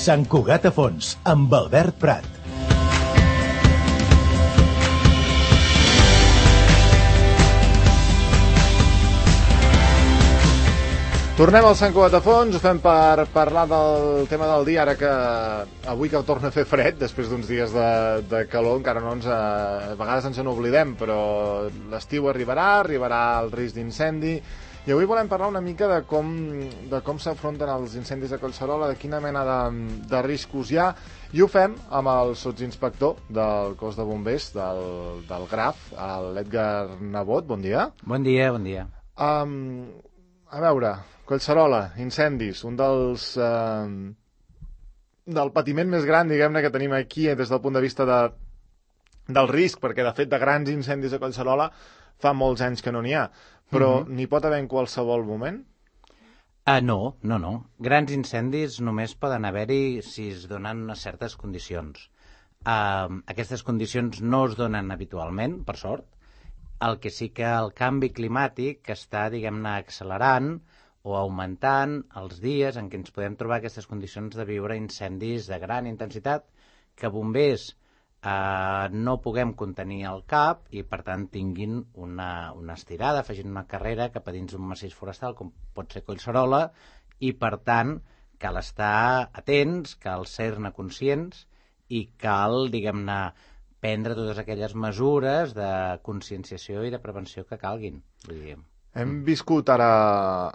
Sant Cugat a Fons, amb Albert Prat. Tornem al Sant Cugat a Fons, ho fem per parlar del tema del dia, ara que avui que torna a fer fred, després d'uns dies de calor, encara no ens... A vegades ens n'oblidem, però l'estiu arribarà el risc d'incendi, i avui volem parlar una mica de com s'afronten els incendis a Collserola, de quina mena de riscos hi ha, i ho fem amb el sotsinspector del cos de bombers del GRAF, l'Edgar Nebot. Bon dia. Bon dia, bon dia. A veure, Collserola, incendis, un del patiment més gran, diguem-ne, que tenim aquí des del punt de vista del risc, perquè de fet de grans incendis a Collserola fa molts anys que no n'hi ha, però n'hi pot haver en qualsevol moment? No. Grans incendis només poden haver-hi si es donen unes certes condicions. Aquestes condicions no es donen habitualment, per sort. El que sí que el canvi climàtic està, diguem-ne, accelerant o augmentant els dies en què ens podem trobar aquestes condicions de viure incendis de gran intensitat que bombers no puguem contenir al cap i, per tant, tinguin una estirada, facin una carrera cap a dins d'un massís forestal, com pot ser Collserola, i, per tant, cal estar atents, cal ser-ne conscients i cal, diguem-ne, prendre totes aquelles mesures de conscienciació i de prevenció que calguin. Hem viscut ara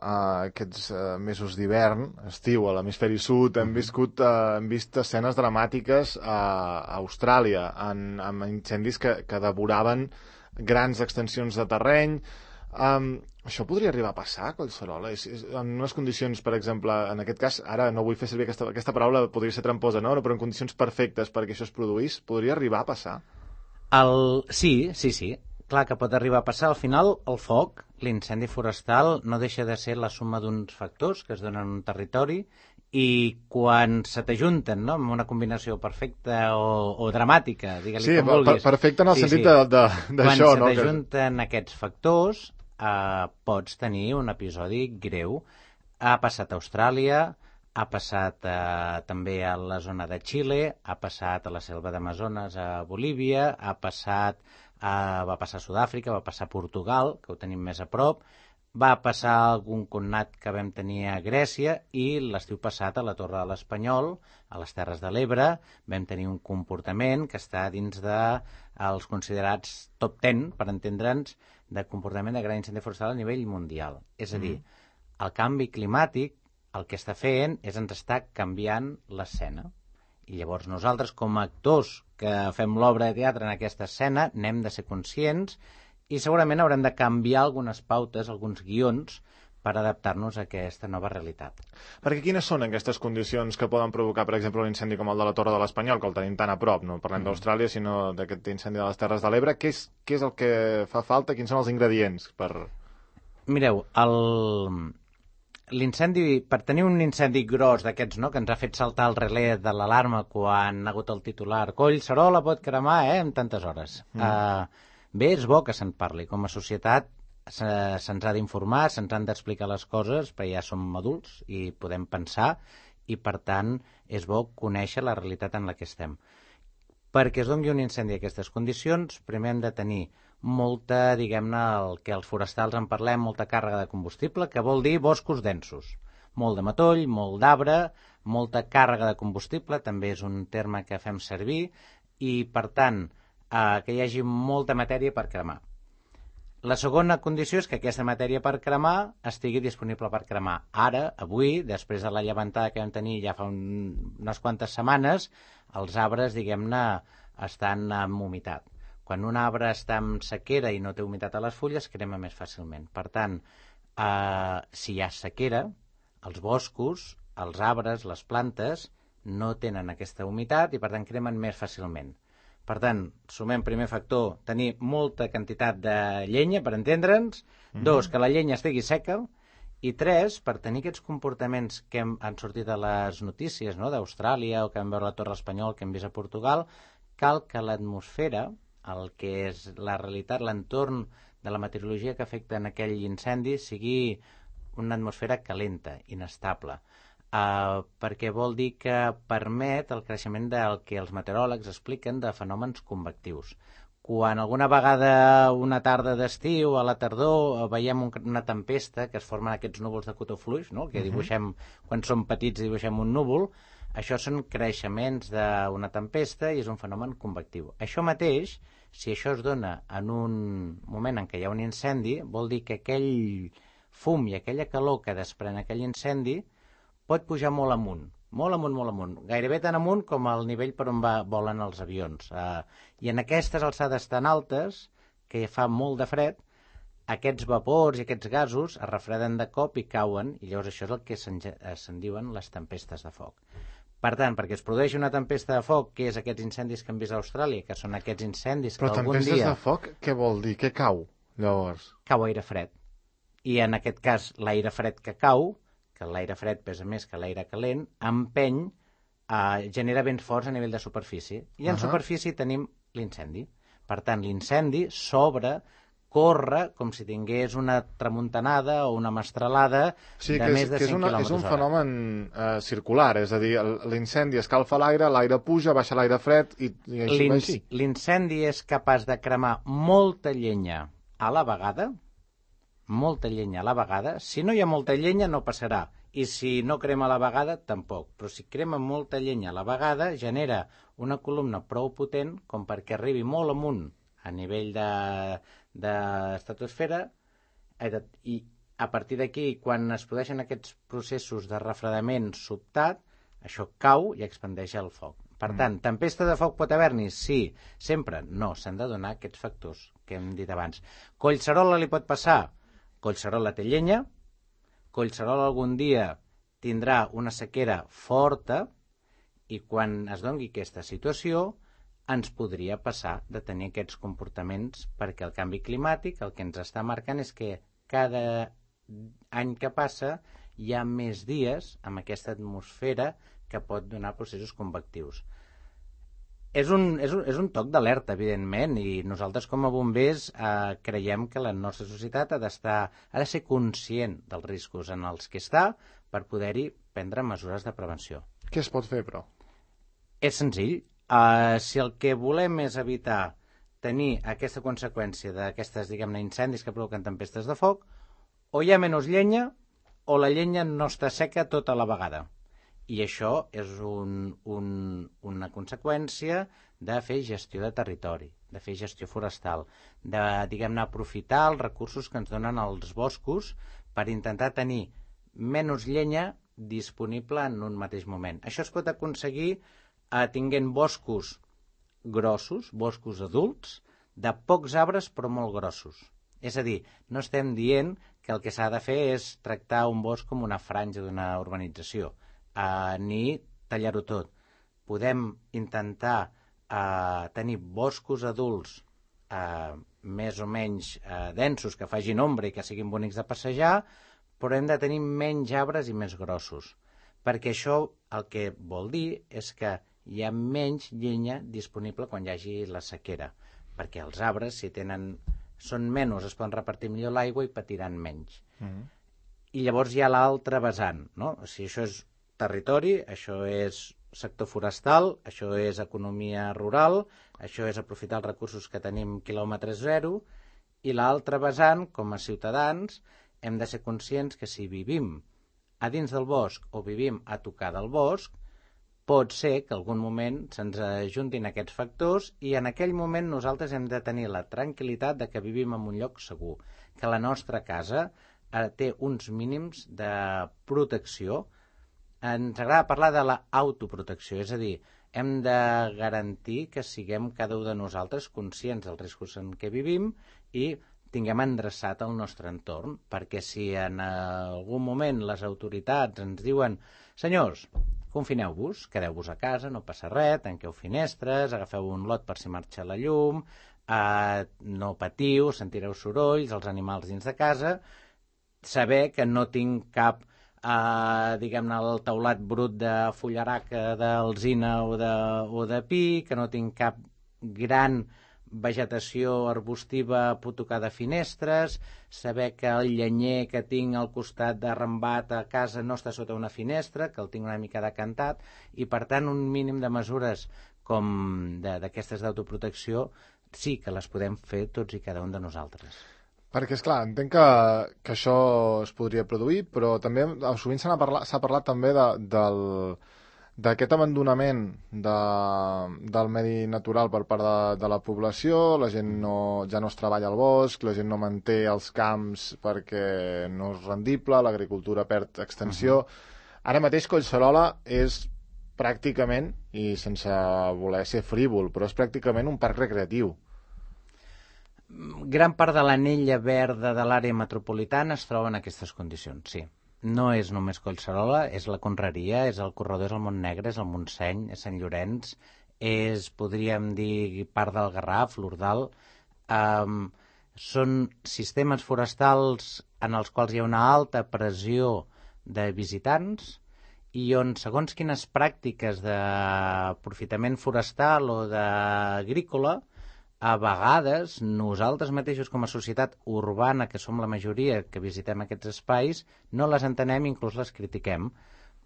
aquests mesos d'hivern, estiu, a l'hemisferi sud, hem vist escenes dramàtiques a Austràlia, amb incendis que devoraven grans extensions de terreny. Això podria arribar a passar a Collserola? En unes condicions, per exemple, en aquest cas, ara no vull fer servir aquesta paraula, podria ser tramposa, no? Però en condicions perfectes perquè això es produís, podria arribar a passar? Sí. Clar que pot arribar a passar. Al final, el foc, l'incendi forestal, no deixa de ser la suma d'uns factors que es donen en un territori i quan se t'ajunten, no?, amb una combinació perfecta o dramàtica, digue-li com vulguis. Sí, perfecte en el sentit d'això, no? Quan se t'ajunten aquests factors, pots tenir un episodi greu. Ha passat a Austràlia, ha passat també a la zona de Xile, ha passat a la selva d'Amazones a Bolívia, va passar a Sud-àfrica, va passar a Portugal, que ho tenim més a prop, va passar algun connat que vam tenir a Grècia i l'estiu passat a la Torre de l'Espanyol, a les Terres de l'Ebre, vam tenir un comportament que està dins dels considerats top 10, per entendre'ns, de comportament de gran incendi forestal a nivell mundial. És a dir, el canvi climàtic el que està fent és ens està canviant l'escena. I llavors nosaltres, com a actors que fem l'obra de teatre en aquesta escena, n'hem de ser conscients i segurament haurem de canviar algunes pautes, alguns guions, per adaptar-nos a aquesta nova realitat. Perquè quines són aquestes condicions que poden provocar, per exemple, un incendi com el de la Torre de l'Espanyol, que el tenim tan a prop, no parlem d'Austràlia, sinó d'aquest incendi de les Terres de l'Ebre? Què és el que fa falta? Quins són els ingredients per...? Mireu, l'incendi, per tenir un incendi gros d'aquests, no?, que ens ha fet saltar el relé de l'alarma quan ha hagut el titular Collserola pot cremar, en tantes hores. Bé, és bo que se'n parli. Com a societat se'ns ha d'informar, se'ns han d'explicar les coses, perquè ja som adults i podem pensar, i per tant és bo conèixer la realitat en la que estem. Perquè es doni un incendi a aquestes condicions, primer hem de tenir molta, diguem-ne, el que els forestals en parlem, molta càrrega de combustible, que vol dir boscos densos. Molt de matoll, molt d'arbre, molta càrrega de combustible, també és un terme que fem servir, i, per tant, que hi hagi molta matèria per cremar. La segona condició és que aquesta matèria per cremar estigui disponible per cremar. Ara, avui, després de la llevantada que vam tenir ja fa unes quantes setmanes, els arbres, diguem-ne, estan amb humitat. Quan un arbre està en sequera i no té humitat a les fulles, crema més fàcilment. Per tant, si hi ha sequera, els boscos, els arbres, les plantes, no tenen aquesta humitat i, per tant, cremen més fàcilment. Per tant, sumem primer factor, tenir molta quantitat de llenya, per entendre'ns. 2, que la llenya estigui seca. I 3, per tenir aquests comportaments que han sortit a les notícies, no?, d'Austràlia o que vam veure a la Torre Espanyol, que hem vist a Portugal, cal que l'atmosfera, el que és la realitat, l'entorn de la meteorologia que afecta en aquell incendi, sigui una atmosfera calenta, inestable. perquè vol dir que permet el creixement del que els meteoròlegs expliquen de fenòmens convectius. Quan alguna vegada una tarda d'estiu, a la tardor, veiem una tempesta que es formen aquests núvols de cotó fluix, no? Que dibuixem, quan som petits dibuixem un núvol, això són creixements d'una tempesta i és un fenomen convectiu. Això mateix, si això es dona en un moment en què hi ha un incendi, vol dir que aquell fum i aquella calor que desprèn aquell incendi pot pujar molt amunt, molt amunt, molt amunt, gairebé tan amunt com el nivell per on volen els avions. I en aquestes alçades tan altes, que fa molt de fred, aquests vapors i aquests gasos es refreden de cop i cauen, i llavors això és el que se'n diuen les tempestes de foc. Per tant, perquè es produeixi una tempesta de foc, que és aquests incendis que hem vist a Austràlia, que són aquests incendis que algun dia... Però tempestes de foc, què vol dir? Què cau, llavors? Cau aire fred. I en aquest cas, l'aire fred que cau, que l'aire fred pesa més que l'aire calent, empeny, genera vents forts a nivell de superfície. I en superfície tenim l'incendi. Per tant, l'incendi s'obre, corre com si tingués una tramuntanada o una mestralada de més de 100 km/h. És un fenomen circular, és a dir, l'incendi escalfa l'aire, l'aire puja, baixa l'aire fred i així va així. L'incendi és capaç de cremar molta llenya a la vegada, Si no hi ha molta llenya no passarà, i si no crema a la vegada tampoc, però si crema molta llenya a la vegada genera una columna prou potent com perquè arribi molt amunt a nivell d'estratosfera, i a partir d'aquí, quan es produeixen aquests processos de refredament sobtat, això cau i expandeix el foc. Per tant, tempesta de foc pot haver-n'hi? Sí. Sempre? No. S'han de donar aquests factors que hem dit abans. Collserola li pot passar? Collserola té llenya, Collserola algun dia tindrà una sequera forta i quan es doni aquesta situació ens podria passar de tenir aquests comportaments perquè el canvi climàtic el que ens està marcant és que cada any que passa hi ha més dies amb aquesta atmosfera que pot donar processos convectius. És un toc d'alerta, evidentment, i nosaltres com a bombers creiem que la nostra societat ha de ser conscient dels riscos en els que està per poder-hi prendre mesures de prevenció. Què es pot fer, però? És senzill. Si el que volem és evitar tenir aquesta conseqüència d'aquestes, diguem-ne, incendis que provoquen tempestes de foc, o hi ha menys llenya o la llenya no està seca tota la vegada. I això és una conseqüència de fer gestió de territori, de fer gestió forestal, de, diguem-ne, aprofitar els recursos que ens donen els boscos per intentar tenir menys llenya disponible en un mateix moment. Això es pot aconseguir tinguent boscos grossos, boscos adults, de pocs arbres però molt grossos. És a dir, no estem dient que el que s'ha de fer és tractar un bosc com una franja d'una urbanització, ni tallar-ho tot. Podem intentar tenir boscos adults més o menys densos, que facin ombra i que siguin bonics de passejar, però hem de tenir menys arbres i més grossos, perquè això el que vol dir és que hi ha menys llenya disponible quan hi hagi la sequera, perquè els arbres, si són menys, es poden repartir millor l'aigua i patiran menys. I llavors hi ha l'altre vessant, no? O sigui, això és territori, això és sector forestal, això és economia rural, això és aprofitar els recursos que tenim quilòmetre zero, i l'altre vessant, com a ciutadans, hem de ser conscients que si vivim a dins del bosc o vivim a tocar del bosc, pot ser que algun moment se'ns ajuntin aquests factors i en aquell moment nosaltres hem de tenir la tranquil·litat de que vivim en un lloc segur, que la nostra casa té uns mínims de protecció. Ens agrada parlar de l'autoprotecció, és a dir, hem de garantir que siguem cada un de nosaltres conscients dels riscos en què vivim i tinguem endreçat el nostre entorn, perquè si en algun moment les autoritats ens diuen senyors, confineu-vos, quedeu-vos a casa, no passa res, tanqueu finestres, agafeu un lot per si marxa la llum, no patiu, sentireu sorolls, els animals dins de casa, saber que no tinc cap diguem-ne, el teulat brut de fullaraca, d'alzina o de pi, que no tinc cap gran vegetació arbustiva pot tocar de finestres, saber que el llenyer que tinc al costat d'arrambat a casa no està sota una finestra, que el tinc una mica decantat, i per tant un mínim de mesures com d'aquestes d'autoprotecció sí que les podem fer tots i cada un de nosaltres. Perquè, esclar, entenc que això es podria produir, però també sovint s'ha parlat també d'aquest abandonament del medi natural per part de la població. La gent ja no es treballa al bosc, la gent no manté els camps perquè no és rendible, l'agricultura perd extensió. Ara mateix Collserola és pràcticament, i sense voler ser frívol, però és pràcticament un parc recreatiu. Gran part de l'anella verda de l'àrea metropolitana es troba en aquestes condicions, sí. No és només Collserola, és la Conreria, és el Corredor, és el Montnegre, és el Montseny, és Sant Llorenç, és, podríem dir, part del Garraf, l'Ordal. Són sistemes forestals en els quals hi ha una alta pressió de visitants i on, segons quines pràctiques d'aprofitament forestal o d'agrícola, a vegades nosaltres mateixos com a societat urbana, que som la majoria que visitem aquests espais, no les entenem i inclús les critiquem.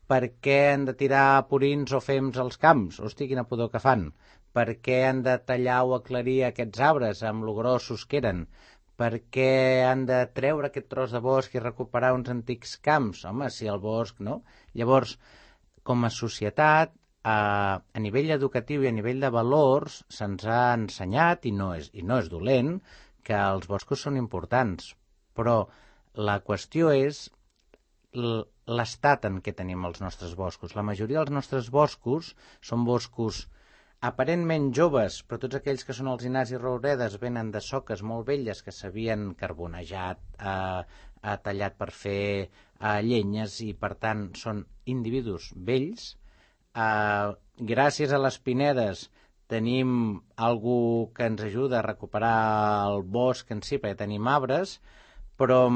Per què han de tirar purins o fems als camps? Hosti, quina pudor que fan. Per què han de tallar o aclarir aquests arbres amb lo grossos que eren? Per què han de treure aquest tros de bosc i recuperar uns antics camps? Home, si el bosc, no? Llavors, com a societat, a nivell educatiu i a nivell de valors se'ns ha ensenyat, i no és dolent, que els boscos són importants, però la qüestió és l'estat en què tenim els nostres boscos. La majoria dels nostres boscos són boscos aparentment joves, però tots aquells que són alzinars i rouredes venen de soques molt velles que s'havien carbonejat, tallat per fer llenyes, i per tant són individus vells. Gràcies a les pinedes tenim algú que ens ajuda a recuperar el bosc en si, perquè tenim arbres, però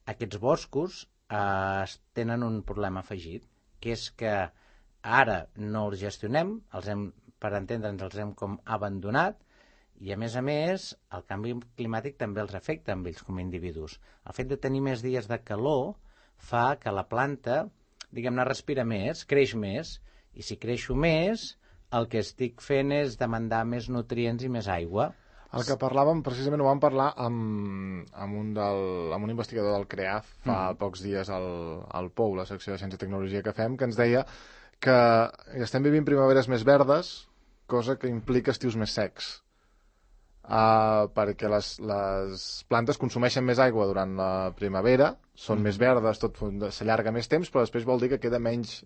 aquests boscos tenen un problema afegit, que és que ara no els gestionem, per entendre'ns els hem com abandonat, i a més el canvi climàtic també els afecta amb ells com a individus. El fet de tenir més dies de calor fa que la planta, diguem-ne, respira més, creix més, i si creixo més, el que estic fent és demandar més nutrients i més aigua. El que parlàvem, precisament ho vam parlar amb un investigador del CREAF fa pocs dies al POU, la secció de Ciència i Tecnologia que fem, que ens deia que estem vivint primaveres més verdes, cosa que implica estius més secs. Perquè les plantes consumeixen més aigua durant la primavera, són més verdes, tot s'allarga més temps, però després vol dir que queda menys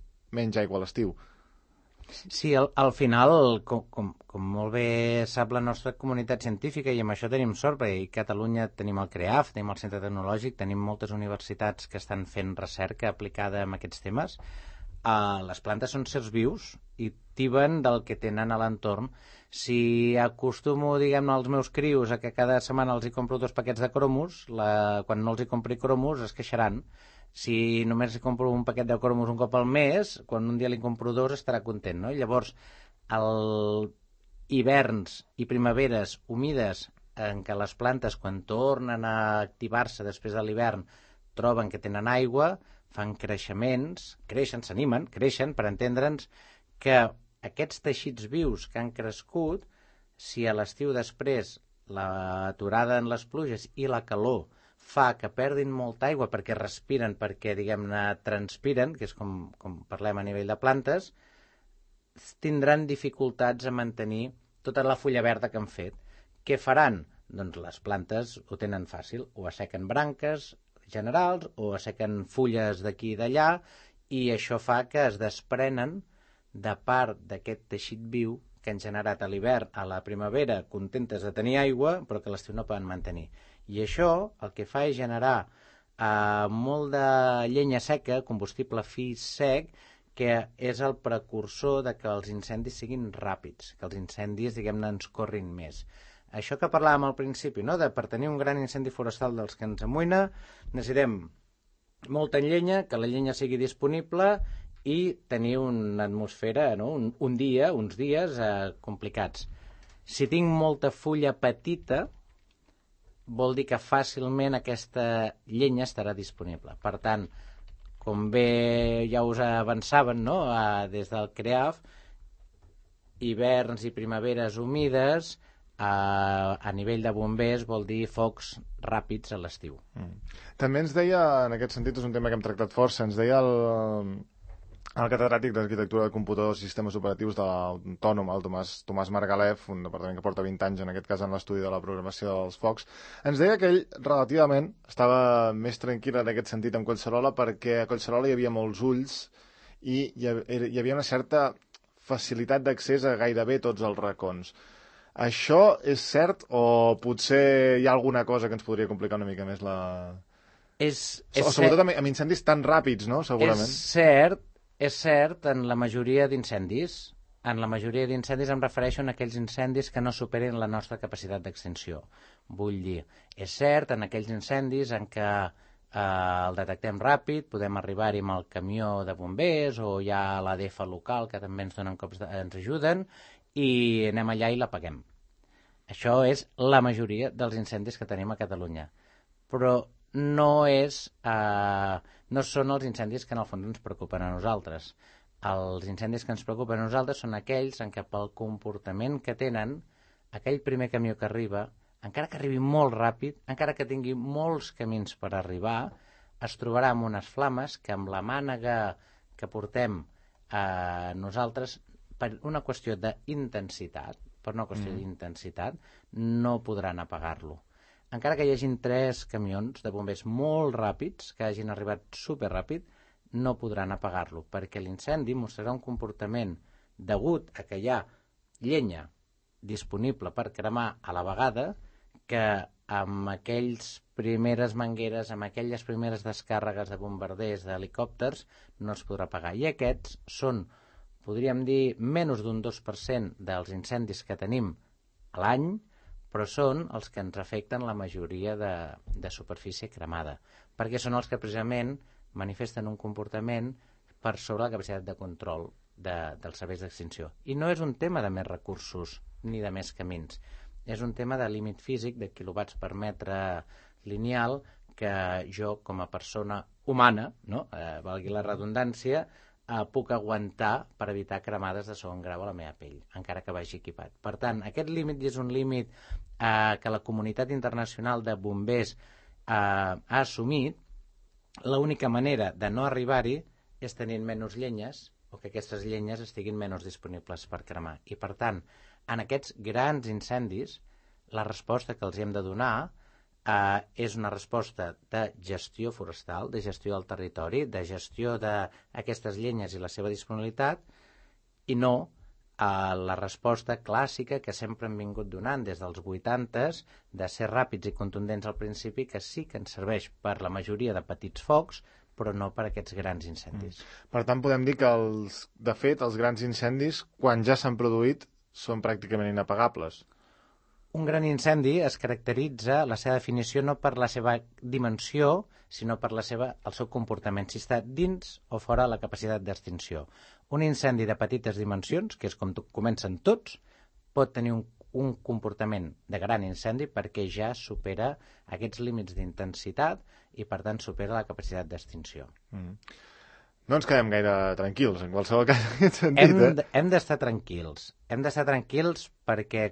aigua a l'estiu. Sí, al final, com molt bé sap la nostra comunitat científica, i amb això tenim sort, perquè a Catalunya tenim el CREAF, tenim el Centre Tecnològic, tenim moltes universitats que estan fent recerca aplicada en aquests temes. Les plantes són sers vius i tiben del que tenen a l'entorn. Si acostumo, diguem-ne, als meus crios a que cada setmana els hi compro 2 paquets de cromos, quan no els hi compri cromos es queixaran. Si només li compro un paquet de cromos un cop al mes, quan un dia li compro 2 estarà content, no? Llavors, hiverns i primaveres humides en què les plantes, quan tornen a activar-se després de l'hivern, troben que tenen aigua, fan creixements, creixen, s'animen, creixen, per entendre'ns que aquests teixits vius que han crescut, si a l'estiu després l'aturada en les pluges i la calor fa que perdin molta aigua perquè respiren, perquè, diguem-ne, transpiren, que és com parlem a nivell de plantes, tindran dificultats a mantenir tota la fulla verda que han fet. Què faran? Doncs les plantes ho tenen fàcil, o assequen branques generals, o assequen fulles d'aquí i d'allà, i això fa que es desprenen de part d'aquest teixit viu que han generat a l'hivern, a la primavera, contentes de tenir aigua, però que a l'estiu no poden mantenir. I això el que fa és generar molt de llenya seca, combustible fi sec, que és el precursor de que els incendis siguin ràpids, que els incendis, diguem-ne, ens corrin més. Això que parlàvem al principi, no? Per tenir un gran incendi forestal dels que ens amoïna, necessitem molta llenya, que la llenya sigui disponible i tenir una atmosfera, no? uns dies complicats. Si tinc molta fulla petita, vol dir que fàcilment aquesta llenya estarà disponible. Per tant, com bé ja us avançaven, no? Des del CREAF, hiverns i primaveres humides, a nivell de bombers vol dir focs ràpids a l'estiu. També ens deia, en aquest sentit, és un tema que hem tractat força, ens deia el catedràtic d'Arquitectura de Computadors i Sistemes Operatius de l'Autònom, el Tomàs Margalef, un departament que porta 20 anys, en aquest cas, en l'estudi de la programació dels focs, ens deia que ell relativament estava més tranquil en aquest sentit amb Collserola, perquè a Collserola hi havia molts ulls i hi havia una certa facilitat d'accés a gairebé tots els racons. Això és cert o potser hi ha alguna cosa que ens podria complicar una mica més la... Sobretot amb incendis tan ràpids, no? Segurament. És cert en la majoria d'incendis. En la majoria d'incendis em refereixo a aquells incendis que no superen la nostra capacitat d'extinció. Vull dir, és cert en aquells incendis en què el detectem ràpid, podem arribar-hi amb el camió de bombers o hi ha l'ADF local que també ens donen cops ens ajuden i anem allà i l'apaguem. Això és la majoria dels incendis que tenim a Catalunya. Però no són els incendis que en el fons ens preocupen a nosaltres. Els incendis que ens preocupen a nosaltres són aquells en què pel comportament que tenen, aquell primer camió que arriba, encara que arribi molt ràpid, encara que tingui molts camins per arribar, es trobarà amb unes flames que amb la mànega que portem nosaltres, per una qüestió d'intensitat, no podran apagar-lo. Encara que hi hagin 3 camions de bombers molt ràpids, que hagin arribat superràpid, no podran apagar-lo, perquè l'incendi mostrarà un comportament degut a que hi ha llenya disponible per cremar a la vegada, que amb aquelles primeres mangueres, amb aquelles primeres descàrregues de bombarders, d'helicòpters, no es podrà apagar. I aquests són, podríem dir, menys d'un 2% dels incendis que tenim a l'any, però són els que ens afecten la majoria de superfície cremada, perquè són els que precisament manifesten un comportament per sobre la capacitat de control dels serveis d'extinció. I no és un tema de més recursos ni de més camins, és un tema de límit físic de quilowatts per metre lineal que jo, com a persona humana, no? Valgui la redundància, puc aguantar per evitar cremades de segon grau a la meva pell, encara que vagi equipat. Per tant, aquest límit és un límit que la comunitat internacional de bombers ha assumit. L'única manera de no arribar-hi és tenint menys llenyes o que aquestes llenyes estiguin menys disponibles per cremar. I, per tant, en aquests grans incendis, la resposta que els hem de donar és una resposta de gestió forestal, de gestió del territori, de gestió d'aquestes llenyes i la seva disponibilitat, i no la resposta clàssica que sempre hem vingut donant des dels 80s, de ser ràpids i contundents al principi, que sí que ens serveix per la majoria de petits focs, però no per aquests grans incendis. Per tant, podem dir que, de fet, els grans incendis, quan ja s'han produït, són pràcticament inapagables. Un gran incendi es caracteritza, la seva definició, no per la seva dimensió, sinó per el seu comportament, si està dins o fora la capacitat d'extinció. Un incendi de petites dimensions, que és com comencen tots, pot tenir un comportament de gran incendi perquè ja supera aquests límits d'intensitat i, per tant, supera la capacitat d'extinció. No ens quedem gaire tranquils, en qualsevol cas, en aquest sentit. Hem d'estar tranquils. Hem d'estar tranquils perquè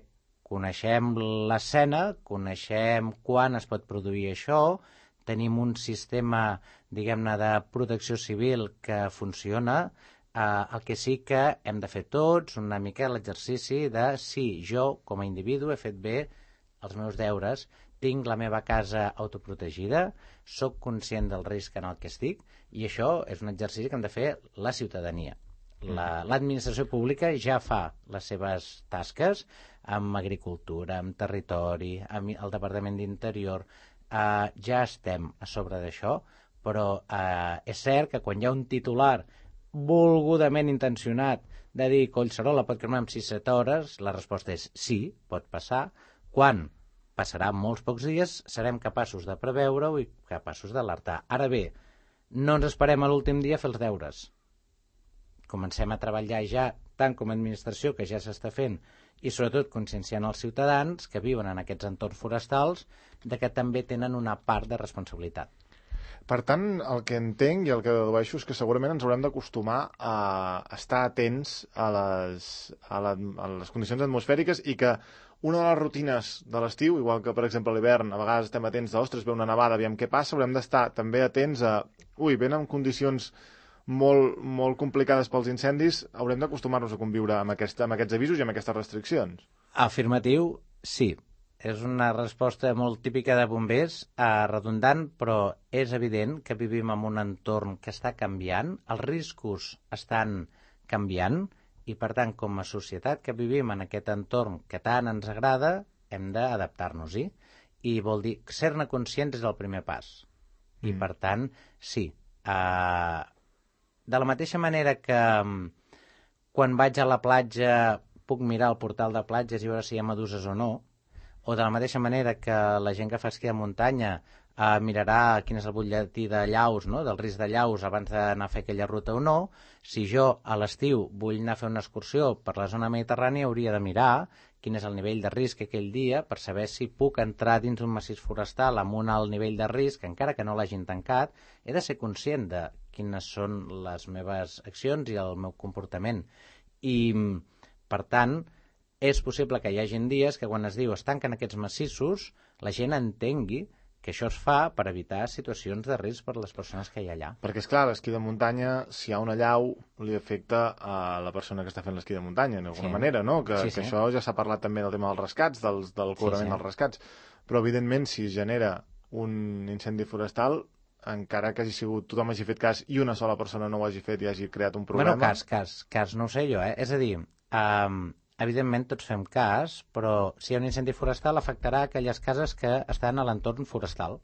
coneixem l'escena, coneixem quan es pot produir això, tenim un sistema, diguem-ne, de protecció civil que funciona. El que sí que hem de fer tots una mica l'exercici de si jo, com a individu, he fet bé els meus deures, tinc la meva casa autoprotegida, sóc conscient del risc en el que estic, i això és un exercici que hem de fer la ciutadania. L'administració pública ja fa les seves tasques amb agricultura, amb territori, amb el Departament d'Interior. Ja estem a sobre d'això, però és cert que quan hi ha un titular volgudament intencionat de dir Collserola pot cremar en 6-7 hores, la resposta és sí, pot passar. Quan passarà molts pocs dies, serem capaços de preveure-ho i capaços d'alertar. Ara bé, no ens esperem a l'últim dia a fer els deures. Comencem a treballar ja, tant com a administració, que ja s'està fent, i sobretot conscienciant els ciutadans que viuen en aquests entorns forestals de que també tenen una part de responsabilitat. Per tant, el que entenc i el que dedueixo és que segurament ens haurem d'acostumar a estar atents a les condicions atmosfèriques i que una de les rutines de l'estiu, igual que per exemple a l'hivern, a vegades estem atents de, ostres, ve una nevada, aviam què passa, haurem d'estar també atents a, venen condicions molt, molt complicades pels incendis, haurem d'acostumar-nos a conviure amb aquests avisos i amb aquestes restriccions. Afirmatiu, sí. És una resposta molt típica de bombers, redundant, però és evident que vivim en un entorn que està canviant, els riscos estan canviant, i per tant, com a societat que vivim en aquest entorn que tant ens agrada, hem d'adaptar-nos-hi. I vol dir, ser-ne conscients és el primer pas. I per tant, sí. De la mateixa manera que quan vaig a la platja puc mirar el portal de platges i veure si hi ha meduses o no, o de la mateixa manera que la gent que fa esquí de muntanya mirarà quin és el butlletí de llaus, no? Del risc de llaus abans d'anar a fer aquella ruta o no, si jo a l'estiu vull anar a fer una excursió per la zona mediterrània hauria de mirar quin és el nivell de risc aquell dia per saber si puc entrar dins un massís forestal amb un alt nivell de risc, encara que no l'hagin tancat, he de ser conscient de quines són les meves accions i el meu comportament. I, per tant, és possible que hi hagi dies que quan es diu es tanquen aquests massissos, la gent entengui que això es fa per evitar situacions de risc per a les persones que hi ha allà. Perquè, és clar, l'esquí de muntanya, si hi ha una llau, li afecta a la persona que està fent l'esquí de muntanya, d'alguna manera, no? Que això ja s'ha parlat també del tema dels rescats, del cobrament dels rescats. Però, evidentment, si es genera un incendi forestal, encara que tothom hagi fet cas i una sola persona no ho hagi fet i hagi creat un problema... Bueno, cas no ho sé jo, És a dir, evidentment tots fem cas, però si hi ha un incendi forestal afectarà aquelles cases que estan a l'entorn forestal.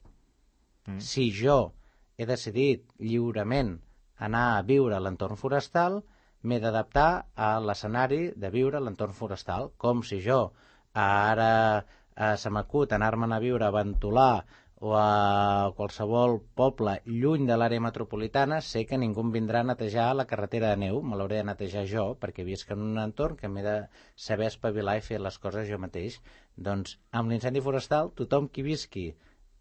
Si jo he decidit lliurement anar a viure a l'entorn forestal, m'he d'adaptar a l'escenari de viure a l'entorn forestal, com si jo ara se m'acut anar-me'n a viure a Ventolà o a qualsevol poble lluny de l'àrea metropolitana, sé que ningú em vindrà a netejar la carretera de neu, me l'hauré de netejar jo, perquè visc en un entorn que m'he de saber espavilar i fer les coses jo mateix. Doncs amb l'incendi forestal, tothom qui visqui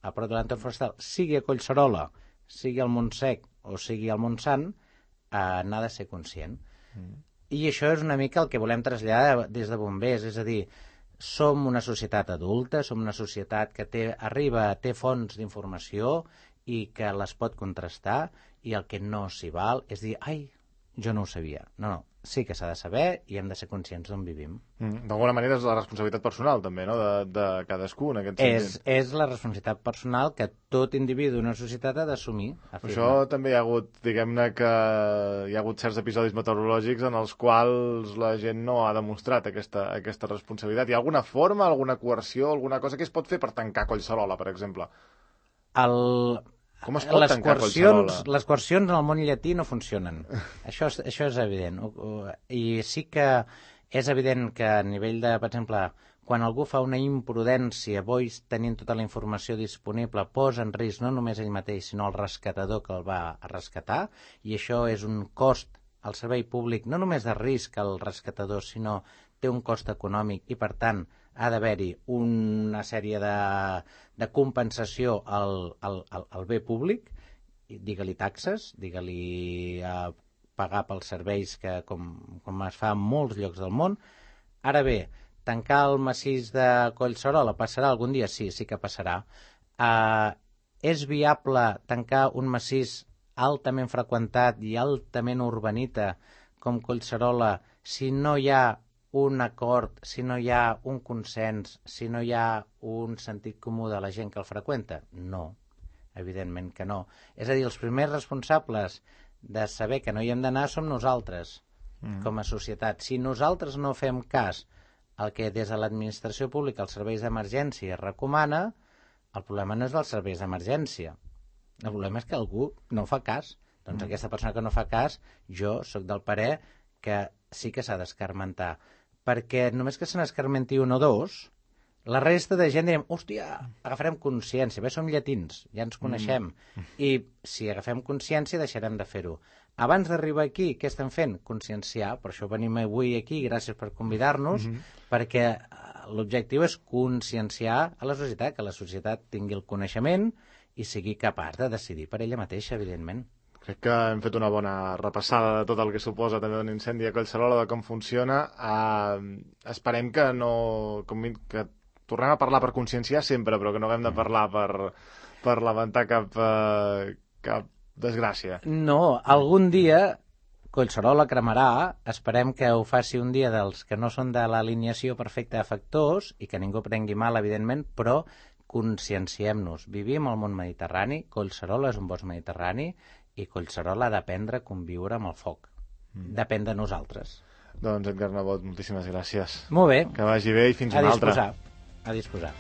a prop de l'entorn forestal, sigui a Collserola, sigui al Montsec o sigui al Montsant, n'ha de ser conscient. I això és una mica el que volem traslladar des de bombers, és a dir, som una societat adulta, som una societat que té fonts d'informació i que les pot contrastar, i el que no s'hi val és dir, ai, jo no ho sabia. No, sí que s'ha de saber i hem de ser conscients d'on vivim. D'alguna manera és la responsabilitat personal també, no?, de cadascú en aquest sentit. És la responsabilitat personal que tot individu d'una societat ha d'assumir. Això també hi ha hagut, diguem-ne que hi ha hagut certs episodis meteorològics en els quals la gent no ha demostrat aquesta responsabilitat. Hi ha alguna forma, alguna coerció, alguna cosa que es pot fer per tancar Collserola, per exemple? Com es pot tancar Collserola? Les coercions en el món llatí no funcionen. Això és evident. I sí que és evident que a nivell de, per exemple, quan algú fa una imprudència, tenint tota la informació disponible, posa en risc no només ell mateix, sinó el rescatador que el va a rescatar, i això és un cost al servei públic, no només de risc al rescatador, sinó té un cost econòmic i, per tant, ha d'haver-hi una sèrie de compensació al bé públic, digue-li taxes, digue-li pagar pels serveis que com es fa en molts llocs del món. Ara bé, tancar el massís de Collserola passarà algun dia? Sí que passarà. És viable tancar un massís altament freqüentat i altament urbanita com Collserola si no hi ha un acord, si no hi ha un consens, si no hi ha un sentit comú de la gent que el freqüenta? No, evidentment que no. És a dir, els primers responsables de saber que no hi hem d'anar som nosaltres, com a societat. Si nosaltres no fem cas al que des de l'administració pública, els serveis d'emergència recomana, el problema no és dels serveis d'emergència. El problema és que algú no fa cas. Doncs aquesta persona que no fa cas, jo sóc del parer que sí que s'ha d'escarmentar. Perquè només que se n'escarmenti un o dos, la resta de gent direm, hòstia, agafarem consciència, bé, som llatins, ja ens coneixem, i si agafem consciència deixarem de fer-ho. abans d'arribar aquí, què estem fent? Conscienciar, per això venim avui aquí, gràcies per convidar-nos, perquè l'objectiu és conscienciar a la societat, que la societat tingui el coneixement i sigui capaç de decidir per ella mateixa, evidentment. Crec que hem fet una bona repassada de tot el que suposa també un incendi a Collserola, de com funciona. Esperem que que tornem a parlar per conscienciar sempre, però que no haguem de parlar per lamentar cap desgràcia. No, algun dia Collserola cremarà, esperem que ho faci un dia dels que no són de l'alineació perfecta de factors i que ningú prengui mal, evidentment, però conscienciem-nos. Vivim al món mediterrani, Collserola és un bosc mediterrani i Collserola ha d'aprendre a conviure amb el foc. Depèn de nosaltres. Doncs, Edgar Nebot, moltíssimes gràcies. Molt bé. Que vagi bé i fins una altra. A disposar.